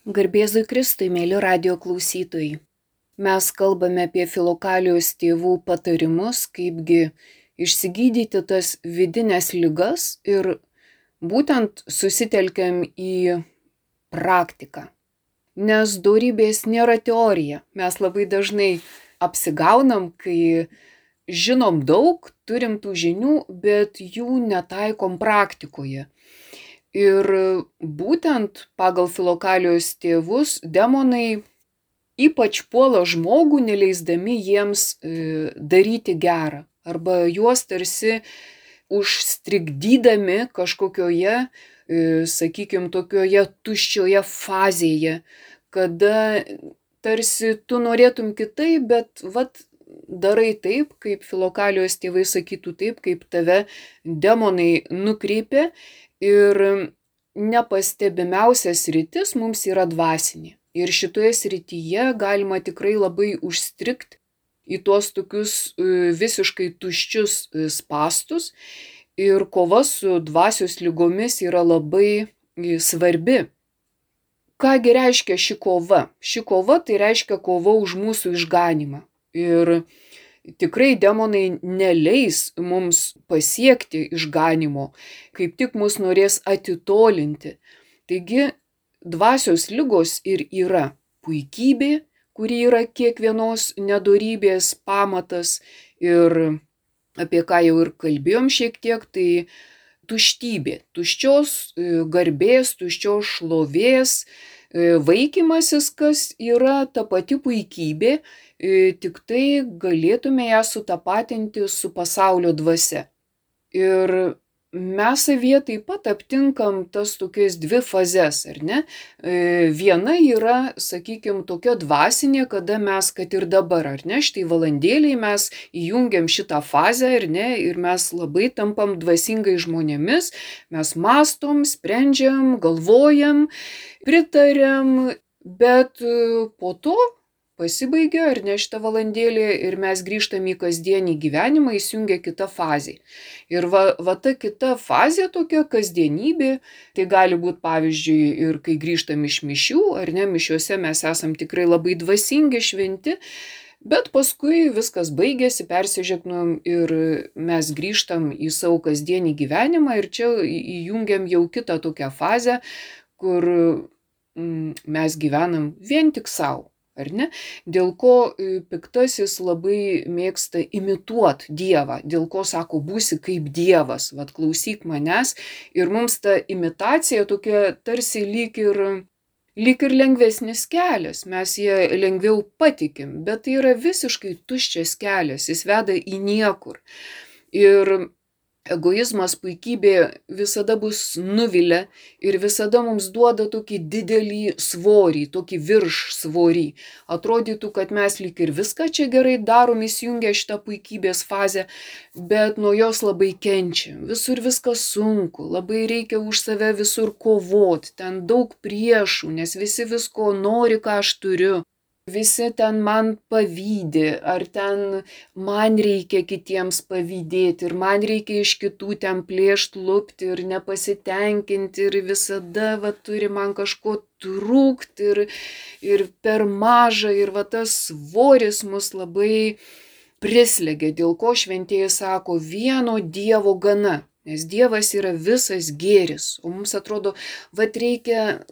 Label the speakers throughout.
Speaker 1: Garbėzui Kristui, mėly radijo klausytojai. Mes kalbame apie Filokalijos tėvų patarimus, kaipgi išsigydyti tas vidinės ligas ir būtent susitelkiam į praktiką. Nes dorybės nėra teorija. Mes labai dažnai apsigaunam, kai žinom daug, turim tų žinių, bet jų netaikom praktikoje. Ir būtent pagal Filokalijos tėvus demonai ypač puola žmogų, neleisdami jiems daryti gerą, arba juos tarsi užstrigdydami kažkokioje, sakykime, tokioje tuščioje fazėje, kada tarsi tu norėtum kitaip, bet darai taip, kaip Filokalijos tėvai sakytų, taip, kaip tave demonai nukreipia. Ir nepastebimiausias sritis mums yra dvasinė. Ir šitoje srityje galima tikrai labai užstrigti į tuos tokius visiškai tuščius spastus. Ir kova su dvasios lygomis yra labai svarbi. Kągi reiškia ši kova? Ši kova tai reiškia kova už mūsų išganymą. Ir tikrai demonai neleis mums pasiekti išganymo, kaip tik mus norės atitolinti. Taigi dvasios ligos ir yra puikybė, kuri yra kiekvienos nedorybės pamatas, ir apie ką jau ir kalbėjom šiek tiek, tai tuštybė, tuščios garbės, tuščios šlovės, vaikymasis, kas yra ta pati puikybė, tik tai galėtume ją sutapatinti su pasaulio dvasia. Ir mes savyje taip pat aptinkam tas tokias dvi fazes, ar ne? Viena yra, sakykime, tokia dvasinė, kada mes, kad ir dabar, ar ne, štai valandėliai mes įjungiam šitą fazę, ar ne, ir mes labai tampam dvasingai žmonėmis, mes mastom, sprendžiam, galvojam, pritariam, bet po to pasibaigia, ar ne, šitą valandėlį ir mes grįžtam į kasdienį gyvenimą, įsijungia kita fazė. Ir va ta kita fazė tokia kasdienybė, tai gali būti pavyzdžiui ir kai grįžtam iš mišių, ar ne, mišiuose mes esam tikrai labai dvasingi, šventi, bet paskui viskas baigėsi, persižegnojom ir mes grįžtam į savo kasdienį gyvenimą ir čia įjungiam jau kitą tokią fazę, kur mes gyvenam vien tik savo. Ar ne? Dėl ko piktasis labai mėgsta imituoti Dievą, dėl ko sako, būsi kaip Dievas, klausyk manęs, ir mums ta imitacija tokia tarsi lyg ir lengvesnis kelias, mes ją lengviau patikim, bet tai yra visiškai tuščias kelias, jis veda į niekur. Ir egoizmas, puikybė visada bus nuvilia ir visada mums duoda tokį didelį svorį, tokį viršsvorį. Atrodytų, kad mes lyg ir viską čia gerai darom, įsijungia šitą puikybės fazę, bet nuo jos labai kenčiam. Visur viskas sunku, labai reikia už save visur kovoti, ten daug priešų, nes visi visko nori, ką aš turiu. Visi ten man pavydi, ar ten man reikia kitiems pavydėti, ir man reikia iš kitų ten plėšt, lupti ir nepasitenkinti, ir visada turi man kažko trūkti ir per maža, ir tas svoris mus labai prislegia, dėl ko šventieji sako, vieno Dievo gana, nes Dievas yra visas gėris, o mums atrodo, reikia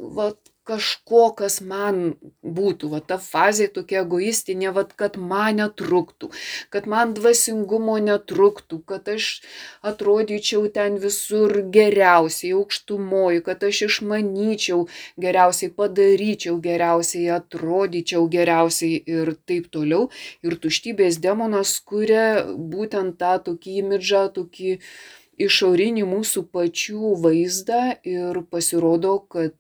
Speaker 1: kažko, kas man būtų, ta fazė tokia egoistinė, kad man netruktų, kad man dvasingumo netruktų, kad aš atrodyčiau ten visur geriausiai, aukštumoji, kad aš išmanyčiau geriausiai, padaryčiau geriausiai, atrodyčiau geriausiai ir taip toliau. Ir tuštybės demonas kuria būtent tą tokį imidžą, tokį išorinį mūsų pačių vaizdą, ir pasirodo, kad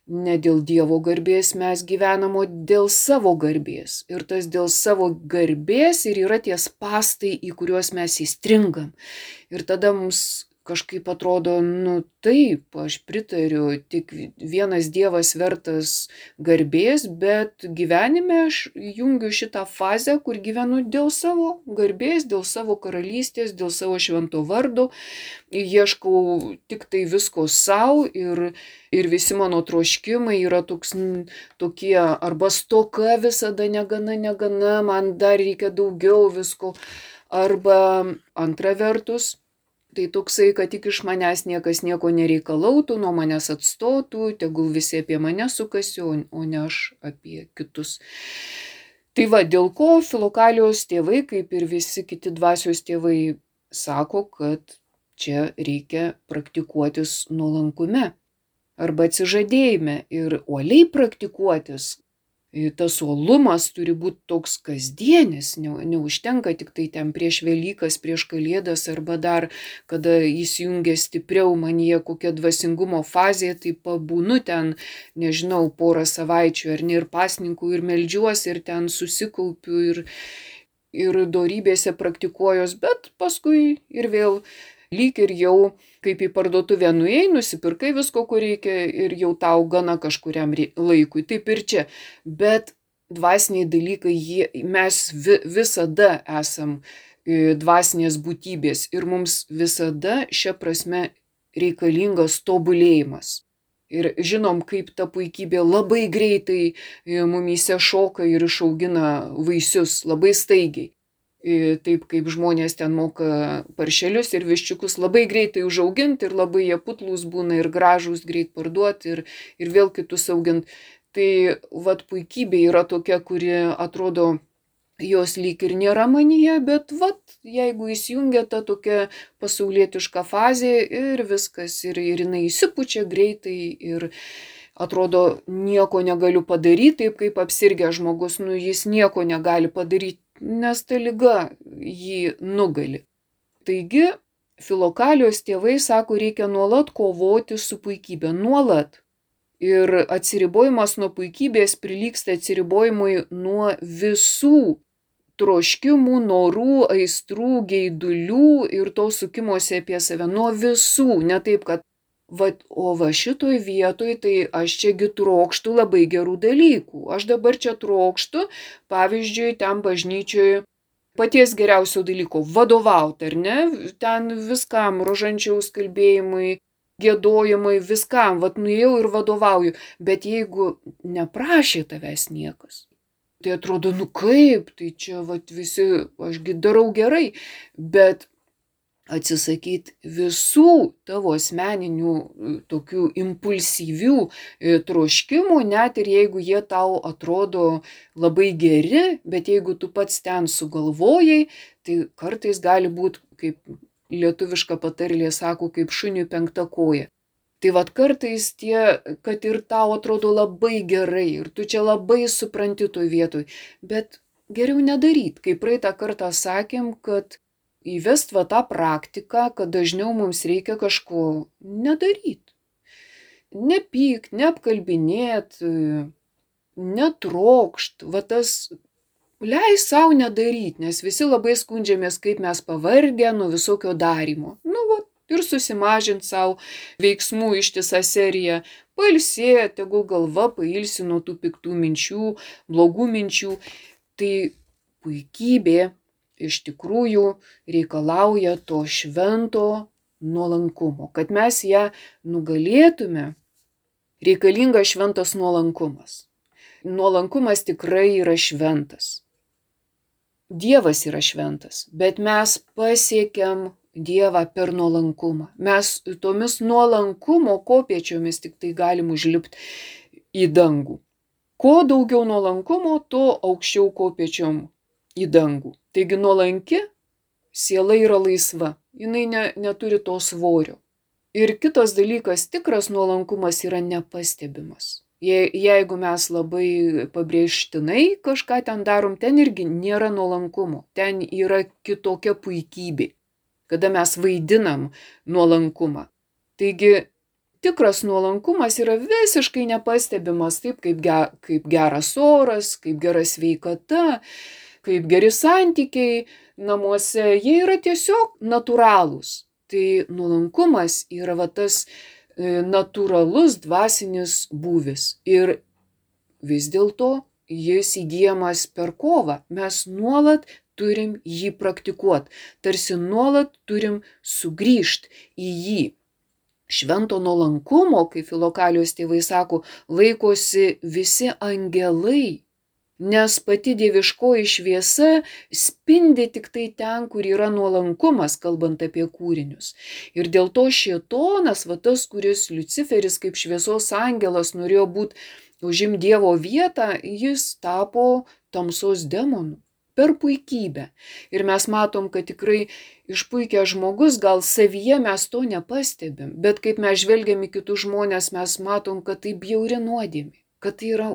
Speaker 1: ne dėl Dievo garbės mes gyvenam, o dėl savo garbės. Ir tas dėl savo garbės ir yra tie spastai, į kuriuos mes įstringam. Ir tada mums kažkaip atrodo, taip, aš pritariu, tik vienas Dievas vertas garbės, bet gyvenime aš jungiu šitą fazę, kur gyvenu dėl savo garbės, dėl savo karalystės, dėl savo švento vardo, ieškau tik tai visko savo ir visi mano troškimai yra tokie arba stoka visada negana, man dar reikia daugiau visko, arba antra vertus, tai toksai, kad tik iš manęs niekas nieko nereikalautų, nuo manęs atstotų, tegul visi apie mane sukasi, o ne aš apie kitus. Tai va, dėl ko Filokalijos tėvai, kaip ir visi kiti dvasios tėvai, sako, kad čia reikia praktikuotis nuolankume arba atsižadėjime ir uoliai praktikuotis. Tas uolumas turi būti toks kasdienis, neužtenka tik tai ten prieš Velykas, prieš Kalėdas arba dar, kada įsijungia stipriau manyje kokia dvasingumo fazė, tai pabūnu ten, nežinau, porą savaičių ar ne, ir pasninkų, ir meldžiuosi, ir ten susikaupiu, ir dorybėse praktikuojos, bet paskui ir vėl lyg ir jau kaip į parduotuvę nuėjai, nusipirkai visko, ko reikia ir jau tau gana kažkuriam laikui. Taip ir čia. Bet dvasiniai dalykai, mes visada esam dvasinės būtybės ir mums visada šia prasme reikalingas tobulėjimas. Ir žinom, kaip ta puikybė labai greitai mumyse šoka ir išaugina vaisius labai staigiai. Taip kaip žmonės ten moka paršelius ir viščiukus labai greitai užauginti ir labai jie putlūs būna ir gražūs greit parduoti ir vėl kitus augint. Tai vat puikybė yra tokia, kuri atrodo, jos lyg ir nėra manyje, bet vat jeigu įsijungia ta tokia pasaulietiška fazė ir viskas, ir jinai įsipučia greitai ir atrodo nieko negaliu padaryti, taip kaip apsirgęs žmogus, jis nieko negali padaryti, nes ta liga jį nugali. Taigi, Filokalijos tėvai sako, reikia nuolat kovoti su puikybė, nuolat. Ir atsiribojimas nuo puikybės prilygsta atsiribojimui nuo visų troškimų, norų, aistrų, geidulių ir to sukimosi apie save, nuo visų, ne taip, kad o šitoj vietoj, tai aš čiagi trokštu labai gerų dalykų. Aš dabar čia trokštu, pavyzdžiui, ten bažnyčioje paties geriausio dalyko - vadovauti, ar ne? Ten viskam, rožančiaus kalbėjimui, giedojimui, viskam, nuėjau ir vadovauju. Bet jeigu neprašė tavęs niekas, tai atrodo, kaip, tai čia visi, ašgi darau gerai, bet atsisakyti visų tavo asmeninių tokių impulsyvių troškimų, net ir jeigu jie tau atrodo labai geri, bet jeigu tu pats ten sugalvojai, tai kartais gali būti, kaip lietuviška patarlė sako, kaip šuniui penkta koja. Tai kartais kad ir tau atrodo labai gerai ir tu čia labai supranti toj vietoj, bet geriau nedaryt, kaip praeitą kartą sakėm, kad įvest tą praktiką, kad dažniau mums reikia kažko nedaryt. Nepykt, neapkalbinėt, netrokšt, tas leis savo nedaryt, nes visi labai skundžiamės, kaip mes pavargę nuo visokio darymo. Ir susimažint savo veiksmų ištisą seriją, pailsėt, tegul galva pailsi nuo tų piktų minčių, blogų minčių. Tai puikybė iš tikrųjų reikalauja to švento nuolankumo. Kad mes ją nugalėtume, reikalingas šventas nuolankumas. Nuolankumas tikrai yra šventas. Dievas yra šventas, bet mes pasiekiam Dievą per nuolankumą. Mes tomis nuolankumo kopėčiomis tik tai galim užlipti į dangų. Kuo daugiau nuolankumo, tuo aukščiau kopėčiom į dangų. Taigi nuolanki siela yra laisva, jinai neturi to svorio. Ir kitas dalykas, tikras nuolankumas yra nepastebimas. Jeigu mes labai pabrėžtinai kažką ten darom, ten irgi nėra nuolankumo, ten yra kitokia puikybė, kada mes vaidinam nuolankumą. Taigi tikras nuolankumas yra visiškai nepastebimas, taip kaip geras oras, kaip gera sveikata, kaip geri santykiai namuose, jie yra tiesiog natūralūs. Tai nuolankumas yra va tas natūralus dvasinis būvis. Ir vis dėlto jis įgyjamas per kovą. Mes nuolat turim jį praktikuoti, tarsi nuolat turim sugrįžti į jį. Švento nuolankumo, kaip Filokalijos tėvai sako, laikosi visi angelai, nes pati dieviškoji šviesa spindi tik tai ten, kur yra nuolankumas, kalbant apie kūrinius. Ir dėl to šėtonas, va tas, kuris Liuciferis kaip šviesos angelas norėjo būti užimti Dievo vietą, jis tapo tamsos demonu per puikybę. Ir mes matom, kad tikrai išpuikęs žmogus, gal savyje mes to nepastebim, bet kaip mes žvelgiam į kitus žmonės, mes matom, kad tai bjauri nuodėmė, kad tai yra,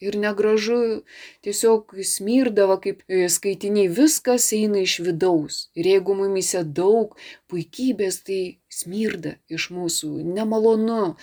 Speaker 1: ir negražu, tiesiog smirdava kaip skaitiniai, viskas eina iš vidaus. Ir jeigu mumyse daug puikybės, tai smirda iš mūsų, nemalonu.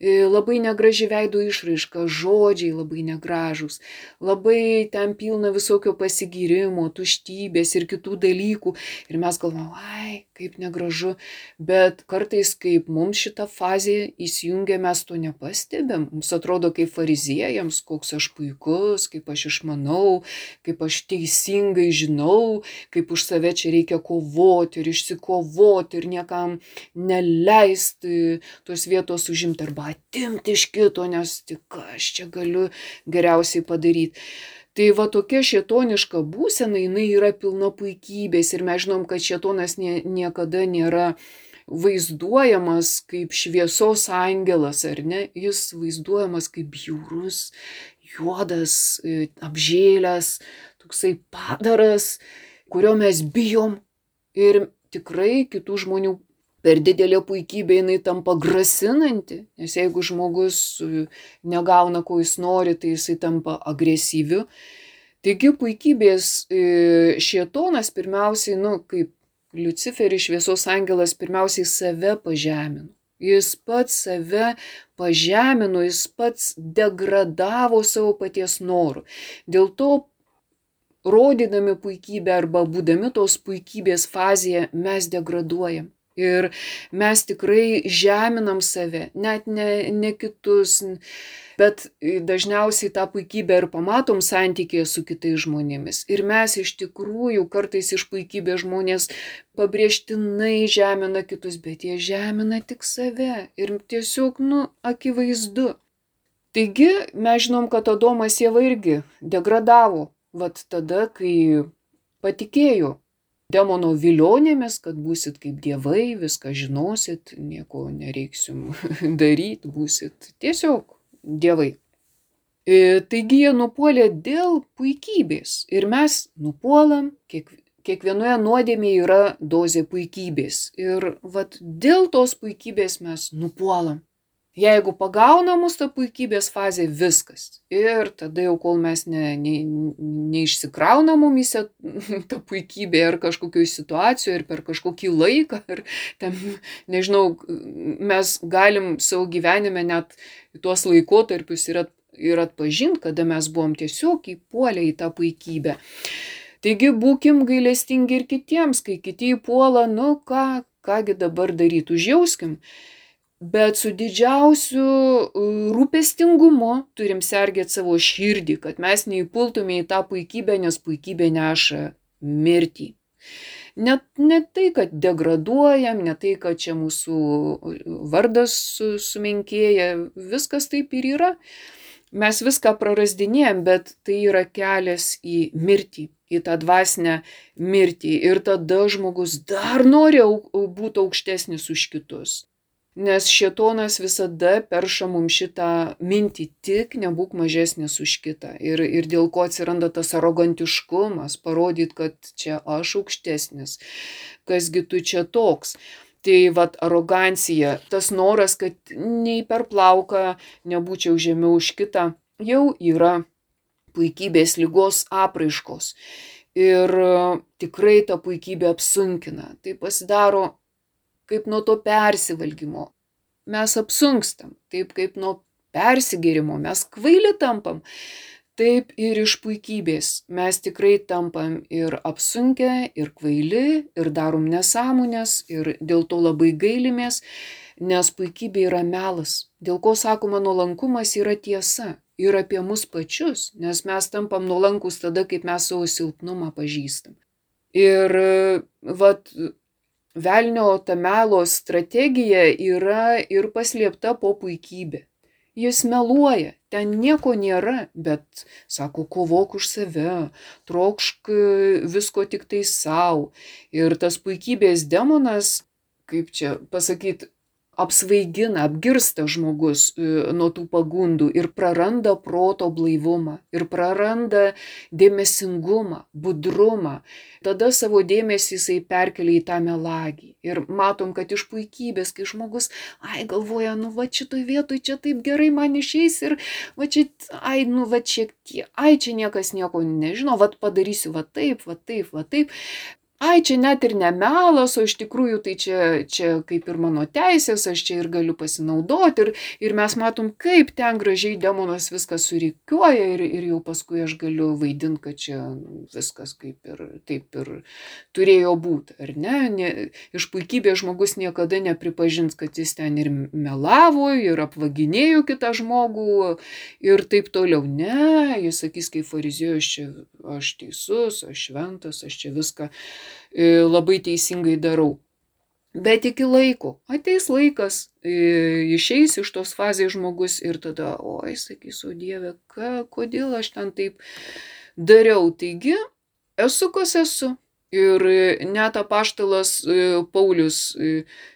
Speaker 1: Labai negraži veido išraiška, žodžiai labai negražūs, labai ten pilna visokio pasigyrimo, tuštybės ir kitų dalykų. Ir mes galvojame, kaip negražu, bet kartais, kaip mums šita fazė įsijungia, mes to nepastebėm. Mums atrodo kaip fariziejams, koks aš puikus, kaip aš išmanau, kaip aš teisingai žinau, kaip už save čia reikia kovoti ir išsikovoti ir niekam neleisti tos vietos užimti arba atimti iš kito, nes tik aš čia galiu geriausiai padaryti. Tai va tokia šėtoniška būsena, jinai yra pilna puikybės ir mes žinom, kad šėtonas niekada nėra vaizduojamas kaip šviesos angelas, ar ne? Jis vaizduojamas kaip bjaurus, juodas, apžėlęs, toksai padaras, kurio mes bijom ir tikrai kitų žmonių per didelė puikybė jinai tampa grasinanti, nes jeigu žmogus negauna, ko jis nori, tai jisai tampa agresyviu. Taigi puikybės šėtonas pirmiausiai, kaip Liuciferis šviesos angelas, pirmiausiai save pažemino. Jis pats save pažemino, jis pats degradavo savo paties norų. Dėl to, rodydami puikybę arba būdami tos puikybės fazėje, mes degraduojam. Ir mes tikrai žeminam save, net ne kitus, bet dažniausiai tą puikybę ir pamatom santykėje su kitais žmonėmis. Ir mes iš tikrųjų kartais iš puikybės žmonės pabrėžtinai žemina kitus, bet jie žemina tik save. Ir tiesiog, akivaizdu. Taigi mes žinom, kad Adomas Ieva irgi degradavo, vat tada, kai patikėjo demono vilionėmis, kad būsit kaip dievai, viską žinosit, nieko nereiks jums daryti, būsit tiesiog dievai. Taigi jie nupuolė dėl puikybės ir mes nupuolam, kiekvienoje nuodėmėje yra dozė puikybės ir vat dėl tos puikybės mes nupuolam. Jeigu pagauna mus ta puikybės fazė, viskas. Ir tada jau, kol mes neišsikrauna mumyse ta puikybė ar kažkokioj situacijoje, ir per kažkokį laiką, ir ten, nežinau, mes galim savo gyvenime net tuos laikotarpius ir atpažinti, kada mes buvom tiesiog įpuolę į tą puikybę. Taigi būkim gailestingi ir kitiems, kai kiti įpuola, kągi dabar daryti, užjauskim. Bet su didžiausiu rūpestingumu turim sergėti savo širdį, kad mes neįpultume į tą puikybę, nes puikybė neša mirtį. Ne tai, kad degraduojam, ne tai, kad čia mūsų vardas sumenkėja, viskas taip ir yra. Mes viską prarasdinėjam, bet tai yra kelias į mirtį, į tą dvasinę mirtį. Ir tada žmogus dar nori būti aukštesnis už kitus. Nes šėtonas visada perša mums šitą mintį, tik nebūk mažesnis už kitą. Ir dėl ko atsiranda tas arogantiškumas, parodyt, kad čia aš aukštesnis, kasgi tu čia toks. Tai vat arogancija, tas noras, kad nei per plauką nebūčiau žemiau už kitą, jau yra puikybės ligos apraiškos. Ir tikrai ta puikybė apsunkina. Tai pasidaro kaip nuo to persivalgymo. Mes apsunkstam, taip kaip nuo persigėrimo, mes kvaili tampam. taip ir iš puikybės. Mes tikrai tampam ir apsunkę, ir kvaili, ir darom nesąmonės, ir dėl to labai gailimės, nes puikybė yra melas. Dėl ko sakoma, nuolankumas yra tiesa. Ir apie mus pačius, nes mes tampam nuolankus tada, kaip mes savo silpnumą pažįstam. Ir vat, velnio ta melo strategija yra ir paslėpta po puikybė. Jis meluoja, ten nieko nėra, bet sako, kovok už save, trokšk visko tik tai savo. Ir tas puikybės demonas, kaip čia pasakyti, apsvaigina, apgirsta žmogus nuo tų pagundų ir praranda proto blaivumą, ir praranda dėmesingumą, budrumą. Tada savo dėmesį jisai perkelia į tą melagį. Ir matom, kad iš puikybės, kai žmogus, galvoja, va šitoj vietoj čia taip gerai man išeis ir va čia, va šiek tiek, čia niekas nieko nežino, va padarysiu va taip, va taip, va taip. Čia net ir ne melas, o iš tikrųjų tai čia kaip ir mano teisės, aš čia ir galiu pasinaudoti. Ir mes matom, kaip ten gražiai demonas viską surikiuoja ir jau paskui aš galiu vaidinti, kad čia viskas kaip ir taip ir turėjo būti, ar ne? Iš puikybės žmogus niekada nepripažins, kad jis ten ir melavo, ir apvaginėjo kitą žmogų ir taip toliau. Ne, jis sakys, kaip fariziejus, čia aš teisus, aš šventas, aš čia viską labai teisingai darau. Bet iki laiko, ateis laikas, išeis iš tos fazės žmogus ir tada, sakys, o Dieve, kodėl aš ten taip dariau. Taigi, esu kas esu. Ir net apaštalas Paulius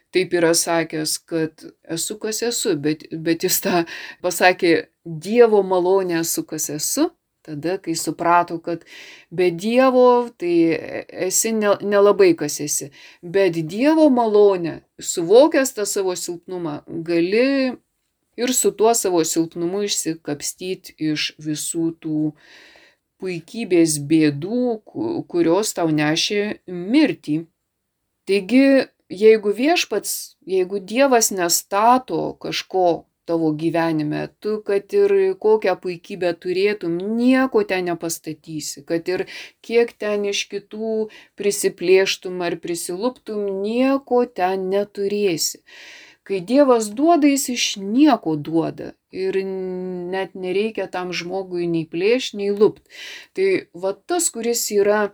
Speaker 1: taip yra sakęs, kad esu kas esu, bet jis tą pasakė, Dievo malonė esu kas esu. Tada, kai suprato, kad be Dievo, tai esi nelabai kas esi. Bet Dievo malonė, suvokęs tą savo silpnumą, gali ir su tuo savo silpnumu išsikapstyti iš visų tų puikybės bėdų, kurios tau nešė mirtį. Taigi, jeigu Dievas nestato kažko tavo gyvenime, tu, kad ir kokią puikybę turėtum, nieko ten nepastatysi, kad ir kiek ten iš kitų prisiplėštum ar prisiluptum, nieko ten neturėsi. Kai Dievas duoda, jis iš nieko duoda ir net nereikia tam žmogui nei plėšti, nei lupt. Tai va tas, kuris yra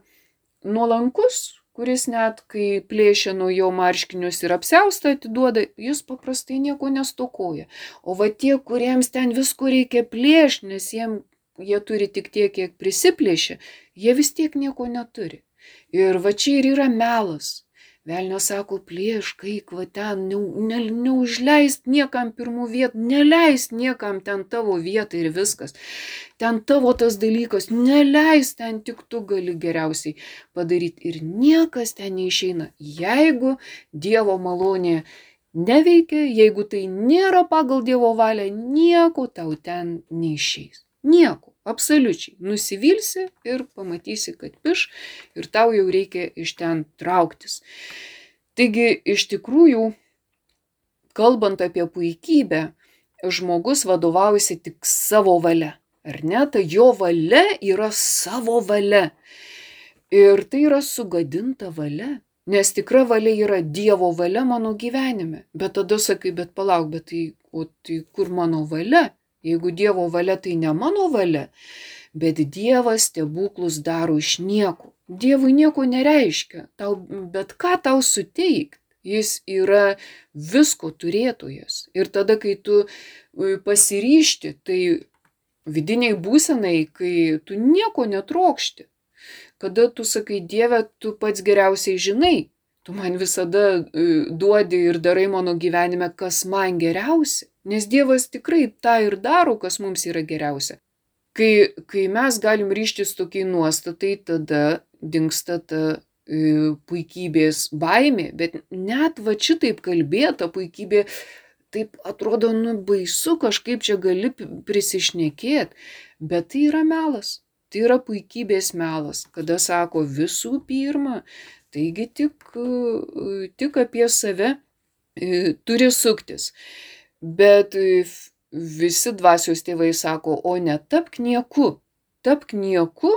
Speaker 1: nuolankus, kuris net kai plėšia nuo jo marškinius ir apsiaustą atiduoda, jis paprastai nieko nestokoja. O va tie, kuriems ten visko reikia plėšti, nes jie turi tik tiek, kiek prisiplėšia, jie vis tiek nieko neturi. Ir va čia ir yra melas. Velnias sako, plėšk, eik va ten, neužleist niekam pirmų vietų, neleist niekam ten tavo vietą ir viskas. Ten tavo tas dalykas, neleist, ten tik tu gali geriausiai padaryti ir niekas ten neišeina. Jeigu Dievo malonė neveikia, jeigu tai nėra pagal Dievo valią, nieko tau ten neišeis. Nieko. Absoliučiai. Nusivilsi ir pamatysi, kad piš ir tau jau reikia iš ten trauktis. Taigi, iš tikrųjų, kalbant apie puikybę, žmogus vadovaujasi tik savo valia. Ar ne? Ta jo valia yra savo valia. Ir tai yra sugadinta valia. Nes tikra valia yra Dievo valia mano gyvenime. Bet tada sakai, bet palauk, tai kur mano valia? Jeigu Dievo valia, tai ne mano valia, bet Dievas stebuklus daro iš nieko. Dievui nieko nereiškia, bet ką tau suteikti? Jis yra visko turėtojas. Ir tada, kai tu pasiryšti, tai vidiniai būsenai, kai tu nieko netrokšti, kada tu sakai, Dieve, tu pats geriausiai žinai, tu man visada duodi ir darai mano gyvenime, kas man geriausia. Nes Dievas tikrai tą ir daro, kas mums yra geriausia. Kai mes galim ryžtis tokiai nuostatai, tada dingsta ta puikybės baimė. Bet net va šitaip kalbėta puikybė, taip atrodo, baisu, kažkaip čia gali prisišnekėti. Bet tai yra melas. Tai yra puikybės melas, kada sako visų pirma, taigi tik apie save turi suktis. Bet visi dvasios tėvai sako, o netapk nieku, tapk nieku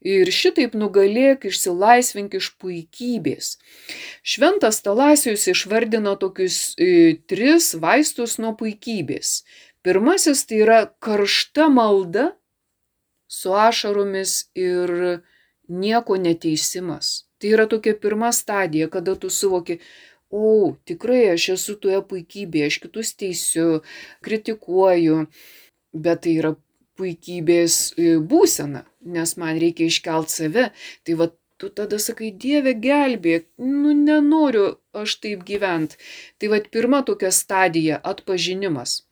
Speaker 1: ir šitaip nugalėk, išsilaisvink iš puikybės. Šventas Talasijus išvardino tokius 3 vaistus nuo puikybės. Pirmasis tai yra karšta malda su ašaromis ir nieko neteisimas. Tai yra tokia pirma stadija, kada tu suvoki, tikrai aš esu toje puikybėje, aš kitus teisiu, kritikuoju, bet tai yra puikybės būsena, nes man reikia iškelt save. Tai va, tu tada sakai, Dieve gelbėk, nenoriu aš taip gyventi. Tai va, pirma tokia stadija - atpažinimas.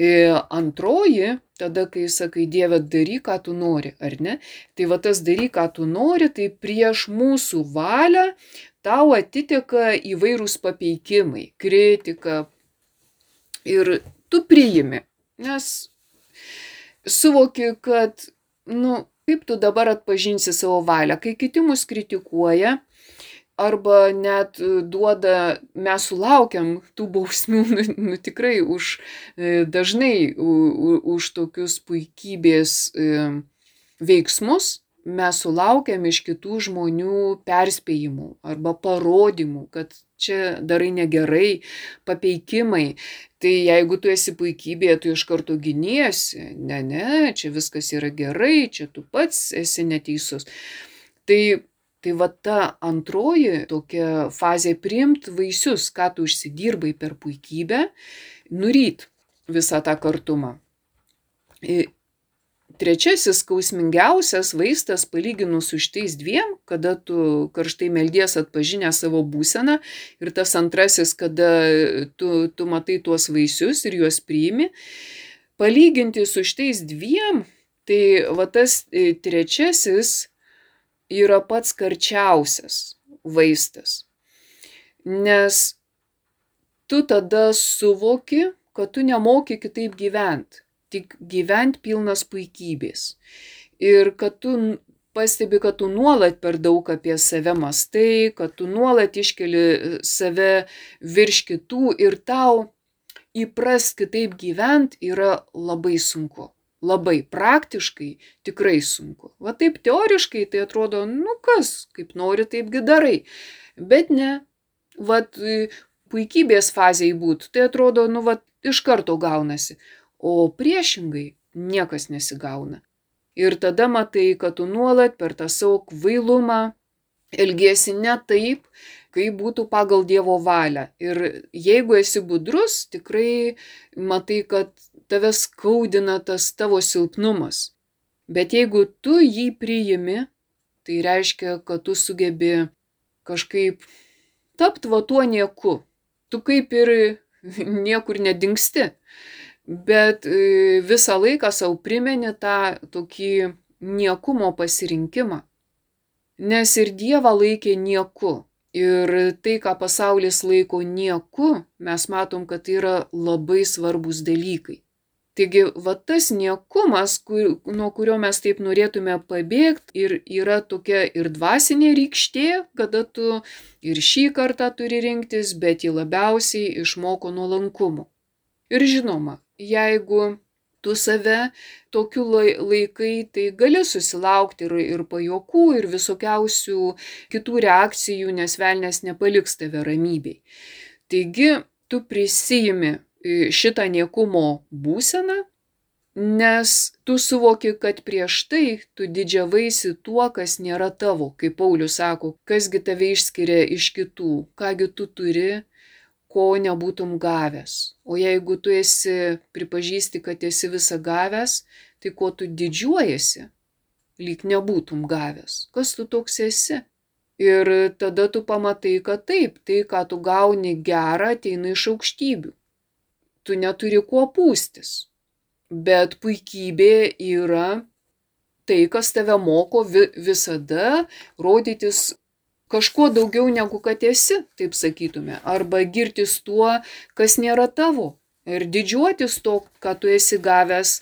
Speaker 1: Antroji, tada, kai sakai, Dieve, daryk, ką tu nori, ar ne? Tai va, tas daryk, ką tu nori, tai prieš mūsų valią tau atiteka įvairūs papeikimai, kritika ir tu priimi, nes suvoki, kad, kaip tu dabar atpažinsi savo valią, kai kiti mus kritikuoja, arba net duoda, mes sulaukiam tų bausmių, tikrai dažnai už tokius puikybės veiksmus, mes sulaukiam iš kitų žmonių perspėjimų arba parodymų, kad čia darai negerai, papeikimai. Tai jeigu tu esi puikybėje, tu iš karto giniesi. Ne, čia viskas yra gerai, čia tu pats esi neteisus. Tai va ta antroji tokia fazė - priimt vaisius, ką tu užsidirbai per puikybę, nuryt visą tą kartumą. Trečiasis skausmingiausias vaistas palyginus su šitais 2, kada tu karštai meldies atpažinę savo būseną, ir tas antrasis, kada tu matai tuos vaisius ir juos priimi, palyginti su šitais 2, tai va tas trečiasis yra pats karčiausias vaistas, nes tu tada suvoki, kad tu nemoki kitaip gyventi, tik gyventi pilnas puikybės. Ir kad tu pastebi, kad tu nuolat per daug apie save mąstai, kad tu nuolat iškeli save virš kitų ir tau įprast kitaip gyventi yra labai sunku. Labai praktiškai tikrai sunku. Va taip teoriškai tai atrodo, kas, kaip nori, taipgi darai. Bet ne, puikybės fazėje būt, tai atrodo, iš karto gaunasi. O priešingai niekas nesigauna. Ir tada matai, kad tu nuolat per tą savo kvailumą elgiesi ne taip, kaip būtų pagal Dievo valią. Ir jeigu esi budrus, tikrai matai, kad tave skaudina tas tavo silpnumas. Bet jeigu tu jį priimi, tai reiškia, kad tu sugebi kažkaip tapti tuo nieku. Tu kaip ir niekur nedingsti, bet visą laiką savo primeni tą tokį niekumo pasirinkimą. Nes ir Dievą laikė nieku. Ir tai, ką pasaulis laiko nieku, mes matom, kad tai yra labai svarbus dalykai. Taigi, tas niekumas, nuo kurio mes taip norėtume pabėgti, ir yra tokia ir dvasinė rykštė, kada tu ir šį kartą turi rinktis, bet jį labiausiai išmoko nuolankumu. Ir žinoma, jeigu tu save tokiu laikai, tai gali susilaukti ir pajuokų, ir visokiausių kitų reakcijų, nes velnias nepaliks tave ramybėj. Taigi, tu prisijimi šitą niekumo būseną, nes tu suvoki, kad prieš tai tu didžiavaisi tuo, kas nėra tavo. Kaip Paulius sako, kasgi tave išskiria iš kitų, kągi tu turi, ko nebūtum gavęs. O jeigu tu pripažįsti, kad esi visą gavęs, tai ko tu didžiuojasi, lyg nebūtum gavęs. Kas tu toks esi? Ir tada tu pamatai, kad taip, tai, ką tu gauni gerą, ateina iš aukštybių. Tu neturi kuo pūstis. Bet puikybė yra tai, kas tave moko visada rodytis kažkuo daugiau negu kad esi, taip sakytume, arba girtis tuo, kas nėra tavo, ir didžiuotis to, ką tu esi gavęs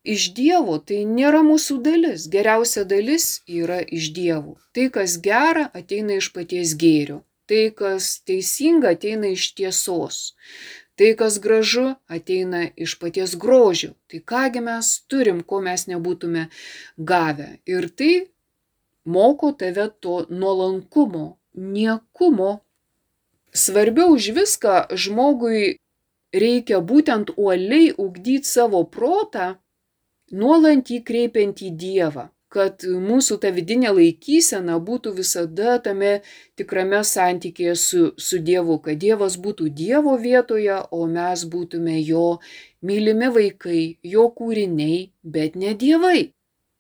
Speaker 1: iš Dievo. Tai nėra mūsų dalis. Geriausia dalis yra iš Dievo. Tai, kas gera, ateina iš paties gėrio. Tai, kas teisinga, ateina iš tiesos. Tai, kas gražu, ateina iš paties grožio. Tai kągi mes turim, ko mes nebūtume gavę. Ir tai moko tave to nuolankumo, niekumo. Svarbiau už viską žmogui reikia būtent uoliai ugdyti savo protą, nuolant jį kreipiant į Dievą, kad mūsų ta vidinė laikysena būtų visada tame tikrame santykėje su Dievu, kad Dievas būtų Dievo vietoje, o mes būtume jo mylimi vaikai, jo kūriniai, bet ne dievai.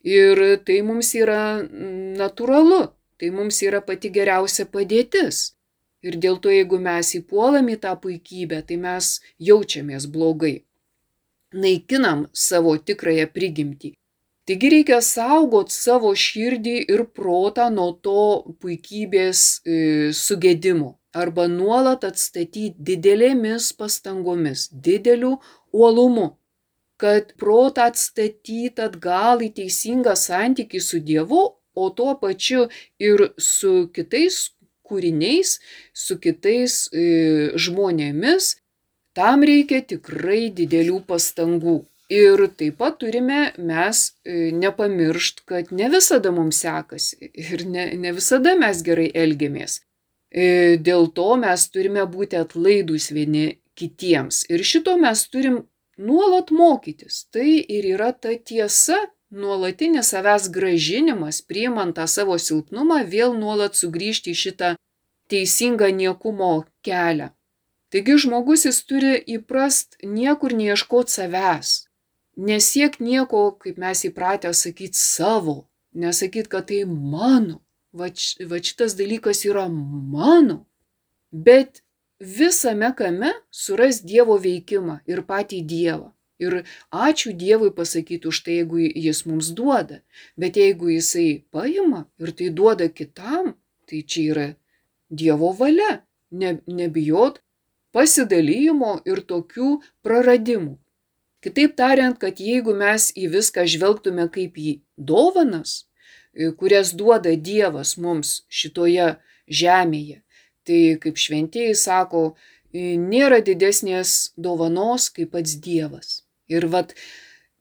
Speaker 1: Ir tai mums yra natūralu, tai mums yra pati geriausia padėtis. Ir dėl to, jeigu mes įpuolam į tą puikybę, tai mes jaučiamės blogai. Naikinam savo tikrąją prigimtį. Taigi reikia saugot savo širdį ir protą nuo to puikybės sugedimo arba nuolat atstatyti didelėmis pastangomis, dideliu uolumu, kad protą atstatyti atgal į teisingą santykį su Dievu, o tuo pačiu ir su kitais kūriniais, su kitais žmonėmis, tam reikia tikrai didelių pastangų. Ir taip pat turime mes nepamiršt, kad ne visada mums sekasi ir ne visada mes gerai elgiamės. Dėl to mes turime būti atlaidūs vieni kitiems. Ir šito mes turim nuolat mokytis. Tai ir yra ta tiesa, nuolatinis savęs grąžinimas, priimant tą savo silpnumą, vėl nuolat sugrįžti į šitą teisingą niekumo kelią. Taigi žmogus jis turi įprast niekur neieškoti savęs. Nesiek nieko, kaip mes įpratę sakyti, savo. Nesakyti, kad tai mano. Va šitas dalykas yra mano. Bet visame kame suras Dievo veikimą ir patį Dievą. Ir ačiū Dievui pasakyti už tai, jeigu jis mums duoda. Bet jeigu jisai paima ir tai duoda kitam, tai čia yra Dievo valia. Nebijot pasidalijimo ir tokių praradimų. Kitaip tariant, kad jeigu mes į viską žvelgtume kaip į dovanas, kurias duoda Dievas mums šitoje žemėje, tai kaip šventieji sako, nėra didesnės dovanos kaip pats Dievas. Ir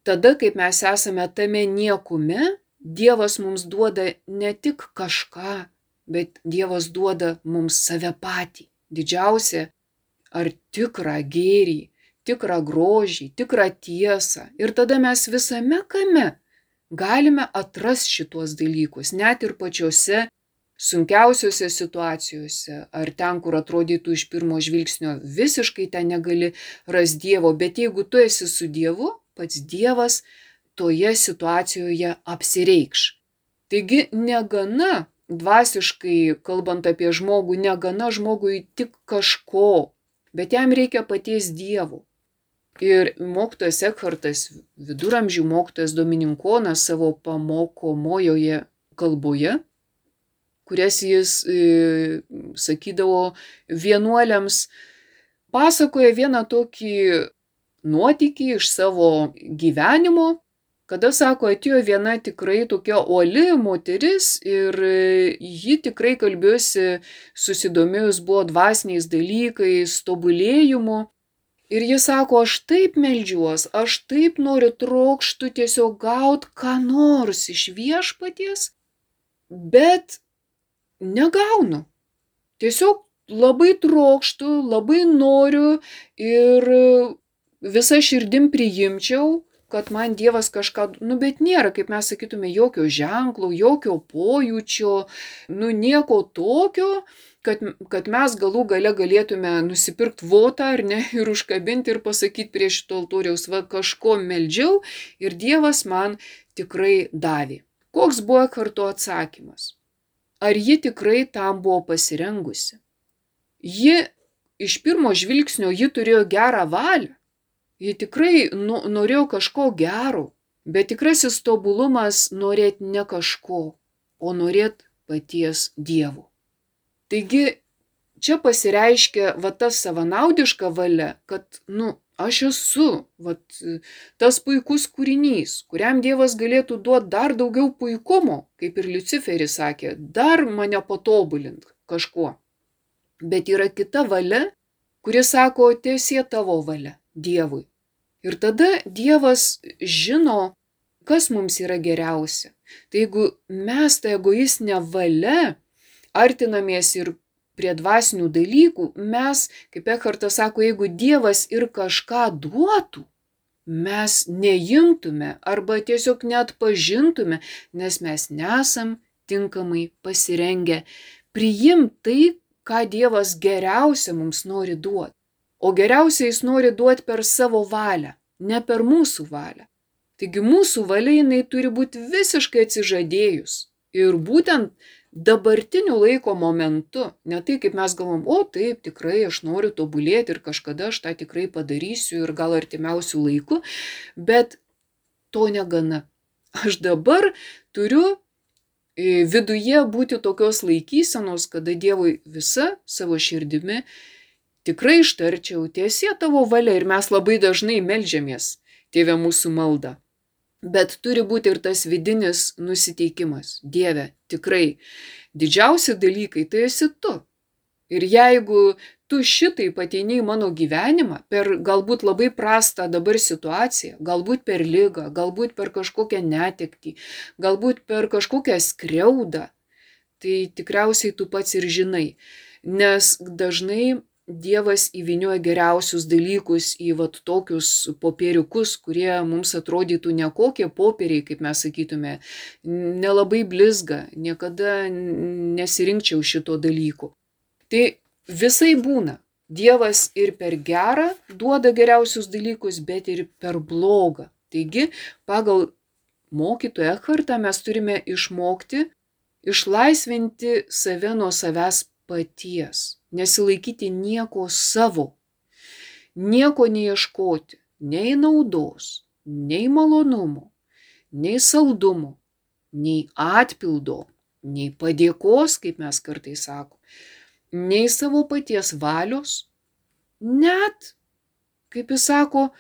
Speaker 1: tada, kaip mes esame tame niekume, Dievas mums duoda ne tik kažką, bet Dievas duoda mums save patį, didžiausią ar tikrą gėrį, tikrą grožį, tikrą tiesą. Ir tada mes visame kame galime atrasti šituos dalykus, net ir pačiose sunkiausiose situacijose, ar ten, kur atrodytų iš pirmo žvilgsnio visiškai ten negali rasti Dievo, bet jeigu tu esi su Dievu, pats Dievas toje situacijoje apsireikš. Taigi negana, dvasiškai kalbant apie žmogų, negana žmogui tik kažko, bet jam reikia paties Dievo. Ir mokytojas Ekhartas, viduramžių mokytojas Dominikonas savo pamokomojoje kalboje, kurias jis sakydavo vienuoliams, pasakoja vieną tokį nuotykį iš savo gyvenimo, kada, sako, atėjo viena tikrai tokia uoli moteris ir ji tikrai kalbėjosi, susidomėjus buvo dvasiniais dalykais, tobulėjimu. Ir jis sako, aš taip meldžiuos, aš taip noriu trokštų tiesiog gauti ką nors iš Viešpaties, bet negaunu. Tiesiog labai trokštų, labai noriu ir visą širdim priimčiau, kad man Dievas kažką, bet nėra, kaip mes sakytume, jokio ženklo, jokio pojūčio, nieko tokio, kad mes galų gale galėtume nusipirkti votą ar ne ir užkabinti ir pasakyti prie šito altoriaus, kažko meldžiau ir Dievas man tikrai davė. Koks buvo Ekharto atsakymas? Ar ji tikrai tam buvo pasirengusi? Ji iš pirmo žvilgsnio ji turėjo gerą valią. Ji tikrai norėjo kažko gero, bet tikrasis tobulumas norėt ne kažko, o norėt paties Dievo. Taigi čia pasireiškia tas savanaudiška valia, kad aš esu tas puikus kūrinys, kuriam Dievas galėtų duoti dar daugiau puikumo, kaip ir Liuciferis sakė, dar mane patobulint kažkuo. Bet yra kita valia, kuris sako, tiesie tavo valia Dievui. Ir tada Dievas žino, kas mums yra geriausia. Tai jeigu mes tą egoistinę valią artinamės ir prie dvasinių dalykų, mes, kaip Ekhartas sako, jeigu Dievas ir kažką duotų, mes neimtume arba tiesiog neatpažintume, nes mes nesam tinkamai pasirengę priimti tai, ką Dievas geriausia mums nori duoti. O geriausia jis nori duoti per savo valią, ne per mūsų valią. Taigi mūsų valia jinai turi būti visiškai atsižadėjus. Ir būtent dabartiniu laiko momentu, ne tai kaip mes galvom, o taip, tikrai aš noriu tobulėti ir kažkada aš tą tikrai padarysiu ir gal artimiausių laikų, bet to negana. Aš dabar turiu viduje būti tokios laikysenos, kada Dievui visa savo širdimi tikrai ištarčiau, tiesie tavo valia, ir mes labai dažnai meldžiamės, Tėve mūsų maldą. Bet turi būti ir tas vidinis nusiteikimas. Dieve, tikrai didžiausi dalykai tai esi tu. Ir jeigu tu šitai ateini į mano gyvenimą per galbūt labai prastą dabar situaciją, galbūt per ligą, galbūt per kažkokią netektį, galbūt per kažkokią skriaudą, tai tikriausiai tu pats ir žinai. Nes dažnai Dievas įvynioja geriausius dalykus į tokius popieriukus, kurie mums atrodytų ne kokie popieriai, kaip mes sakytume, nelabai blizga, niekada nesirinkčiau šito dalyko. Tai visai būna. Dievas ir per gerą duoda geriausius dalykus, bet ir per blogą. Taigi, pagal mokytoją Ekhartą mes turime išmokti išlaisvinti save nuo savęs paties, nesilaikyti nieko savo, nieko neieškoti, nei naudos, nei malonumo, nei saldumo, nei atpildo, nei padėkos, kaip mes kartais sakom, nei savo paties valios, net, kaip jis sako,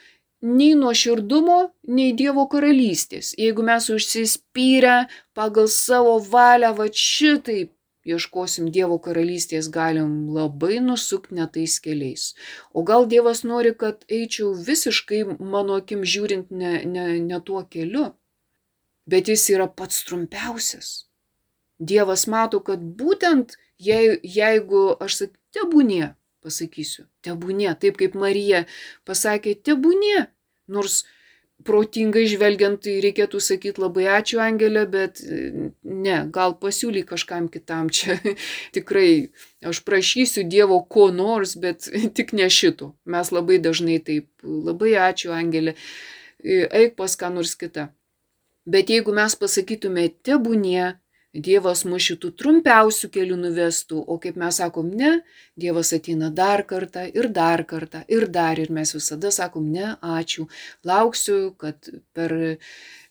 Speaker 1: nei nuoširdumo, nei Dievo karalystės. Jeigu mes užsispyrę pagal savo valią, šitaip ieškosim Dievo karalystės, galim labai nusukti ne tais keliais. O gal Dievas nori, kad eičiau visiškai, mano akim žiūrint, ne tuo keliu. Bet jis yra pats trumpiausias. Dievas mato, kad būtent jeigu aš sakysiu, tebūnie, pasakysiu, tebūnie, taip kaip Marija pasakė, tebūnie, nors protingai žvelgiant, tai reikėtų sakyti labai ačiū Angelė, bet ne, gal pasiūly kažkam kitam čia. Tikrai aš prašysiu Dievo ko nors, bet tik ne šito. Mes labai dažnai taip, labai ačiū Angelė, eik pas ką nors kitą. Bet jeigu mes pasakytume tebūnie, Dievas mus šitų trumpiausių kelių nuvestų, o kaip mes sakom, ne, Dievas ateina dar kartą ir dar kartą ir dar, ir mes visada sakom, ne, ačiū, lauksiu, kad per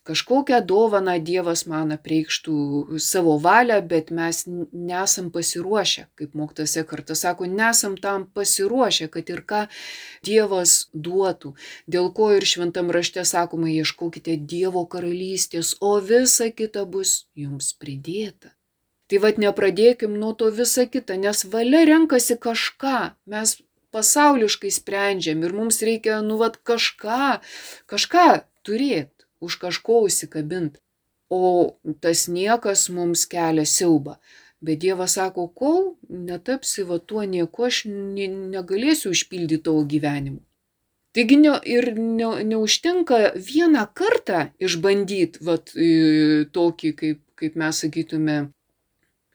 Speaker 1: kažkokią dovaną Dievas man apreikštų savo valią, bet mes nesam pasiruošę, kaip mokytojas Ekhartas sako, nesam tam pasiruošę, kad ir ką Dievas duotų. Dėl ko ir šventam rašte sakoma, ieškokite Dievo karalystės, o visa kita bus jums pridėta. Tai nepradėkim nuo to visa kita, nes valia renkasi kažką, mes pasauliškai sprendžiam ir mums reikia, kažką turėti, už kažko užsikabint. O tas niekas mums kelia siaubą. Bet Dievas sako, kol netapsi tuo nieku, aš negalėsiu užpildyti tavo gyvenimą. Taigi neužtenka vieną kartą išbandyti tokį, kaip mes sakytume,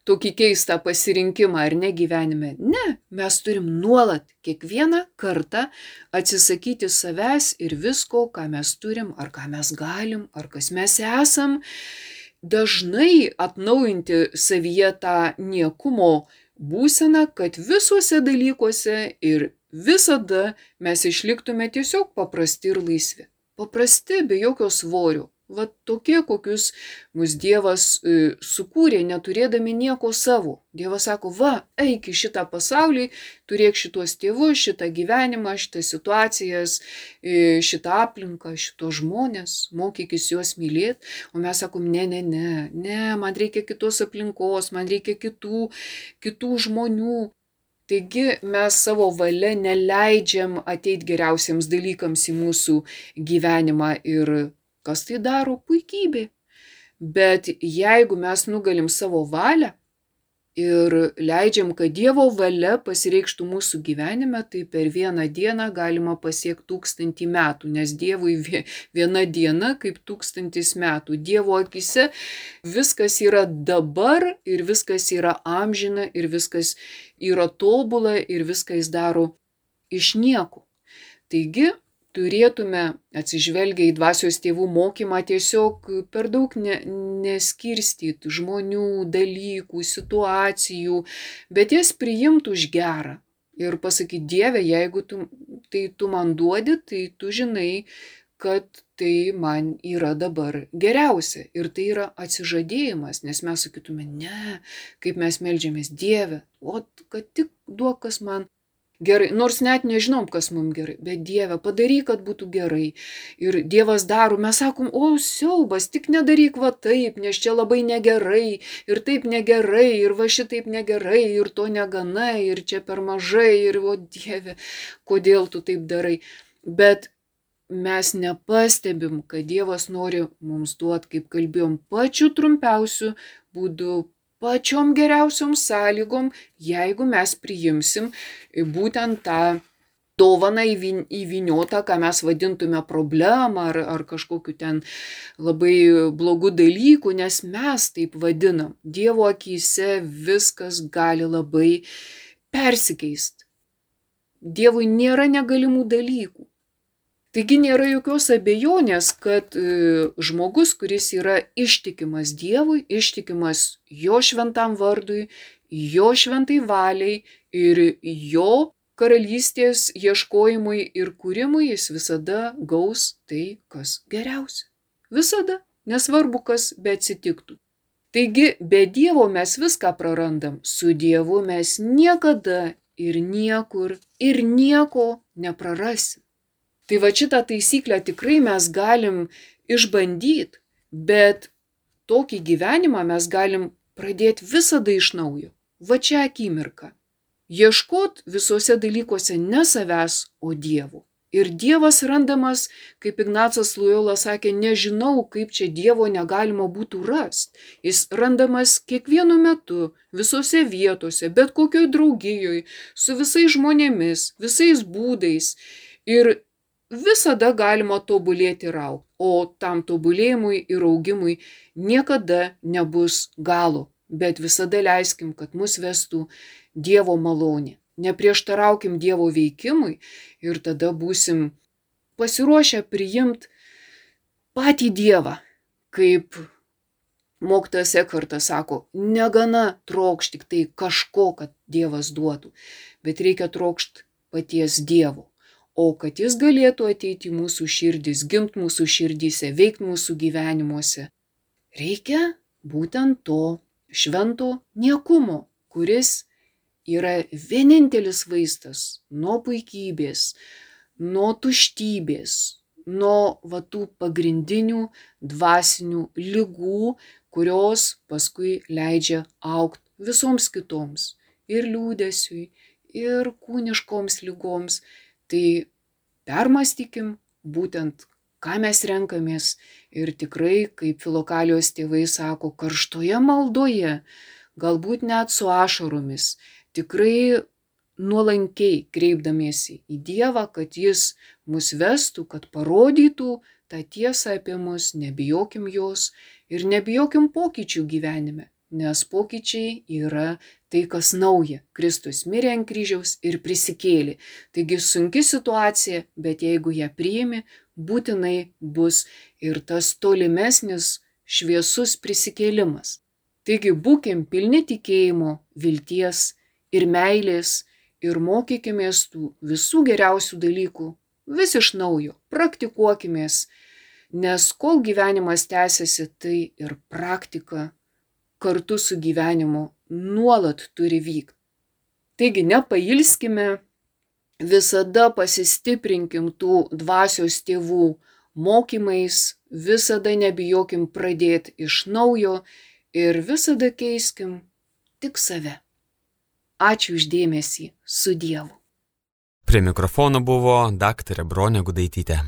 Speaker 1: tokį keistą pasirinkimą ar ne gyvenime. Ne, mes turim nuolat kiekvieną kartą atsisakyti savęs ir visko, ką mes turim, ar ką mes galim, ar kas mes esam. Dažnai atnaujinti savyje tą niekumo būseną, kad visuose dalykuose ir visada mes išliktume tiesiog paprasti ir laisvi. Paprasti, be jokio svorio. Tokie, kokius mus Dievas sukūrė, neturėdami nieko savo. Dievas sako, eik į šitą pasaulį, turėk šitos tėvus, šitą gyvenimą, šitas situacijas, šitą aplinką, šitos žmonės, mokykis juos mylėti. O mes sakom, ne, man reikia kitos aplinkos, man reikia kitų žmonių. Taigi mes savo valia neleidžiam ateiti geriausiems dalykams į mūsų gyvenimą ir kas tai daro? Puikybė. Bet jeigu mes nugalim savo valią ir leidžiam, kad Dievo valia pasireikštų mūsų gyvenime, tai per vieną dieną galima pasiekti 1000 metų, nes Dievui viena diena kaip 1000 metų. Dievo akise viskas yra dabar ir viskas yra amžina ir viskas yra tobula ir viską jis daro iš nieko. Taigi, turėtume atsižvelgę į dvasios tėvų mokymą tiesiog per daug neskirstyti žmonių, dalykų, situacijų, bet jas priimti už gerą ir pasakyti, Dieve, jeigu tu man duodi, tai tu žinai, kad tai man yra dabar geriausia. Ir tai yra atsižadėjimas, nes mes sakytume, ne, kaip mes meldžiamės, Dieve, o kad tik duok, kas man gerai, nors net nežinom, kas mums gerai, bet Dieve, padaryk, kad būtų gerai. Ir Dievas daro, mes sakom, o siaubas, tik nedaryk va taip, nes čia labai negerai, ir taip negerai, ir va šitaip negerai, ir to negana, ir čia per mažai, ir o Dieve, kodėl tu taip darai. Bet mes nepastebim, kad Dievas nori mums duoti, kaip kalbėjom, pačiu trumpiausiu būdu, pačiom geriausiom sąlygom, jeigu mes priimsim būtent tą dovaną įvyniotą, ką mes vadintume problemą ar kažkokiu ten labai blogų dalykų, nes mes taip vadinam. Dievo akyse viskas gali labai persikeisti. Dievui nėra negalimų dalykų. Taigi nėra jokios abejonės, kad žmogus, kuris yra ištikimas Dievui, ištikimas jo šventam vardui, jo šventai valiai ir jo karalystės ieškojimui ir kūrimui, jis visada gaus tai, kas geriausia. Visada, nesvarbu, kas beatsitiktų. Taigi, be Dievo mes viską prarandam, su Dievu mes niekada ir niekur ir nieko neprarasim. Tai va šitą taisyklę tikrai mes galim išbandyti, bet tokį gyvenimą mes galim pradėti visada iš naujo. Va čia akimirka. Ieškot visose dalykuose ne savęs, o Dievo. Ir Dievas randamas, kaip Ignacas Lojola sakė, nežinau, kaip čia Dievo negalima būtų rasti. Jis randamas kiekvienu metu, visose vietose, bet kokioj draugijoj, su visais žmonėmis, visais būdais. Ir visada galima tobulėti ir augti, o tam tobulėjimui ir augimui niekada nebus galo, bet visada leiskim, kad mus vestų Dievo malonė. Neprieštaraukim Dievo veikimui ir tada būsim pasiruošę priimti patį Dievą, kaip mokytojas Ekhartas sako, negana trokšti tik tai kažko, kad Dievas duotų, bet reikia trokšti paties Dievo. O kad jis galėtų ateiti į mūsų širdis, gimti mūsų širdyse, veikti mūsų gyvenimuose, reikia būtent to švento niekumo, kuris yra vienintelis vaistas nuo puikybės, nuo tuštybės, nuo tų pagrindinių dvasinių ligų, kurios paskui leidžia augti visoms kitoms, ir liūdesiui, ir kūniškoms ligoms. Tai permąstykim būtent, ką mes renkamės ir tikrai, kaip Filokalijos tėvai sako, karštoje maldoje, galbūt net su ašaromis, tikrai nuolankiai kreipdamiesi į Dievą, kad jis mus vestų, kad parodytų tą tiesą apie mus, nebijokim jos ir nebijokim pokyčių gyvenime. Nes pokyčiai yra tai, kas nauja. Kristus mirė ant kryžiaus ir prisikėlė. Taigi sunki situacija, bet jeigu ją priimi, būtinai bus ir tas tolimesnis šviesus prisikėlimas. Taigi būkim pilni tikėjimo, vilties ir meilės ir mokykimės tų visų geriausių dalykų vis iš naujo. Praktikuokimės, nes kol gyvenimas tęsiasi, tai ir praktika kartu su gyvenimu nuolat turi vykti. Taigi nepailskime, visada pasistiprinkim tų dvasios tėvų mokymais, visada nebijokim pradėti iš naujo ir visada keiskim tik save. Ačiū už dėmesį. Su Dievu.
Speaker 2: Prie mikrofono buvo daktarė Bronė Gudaitytė.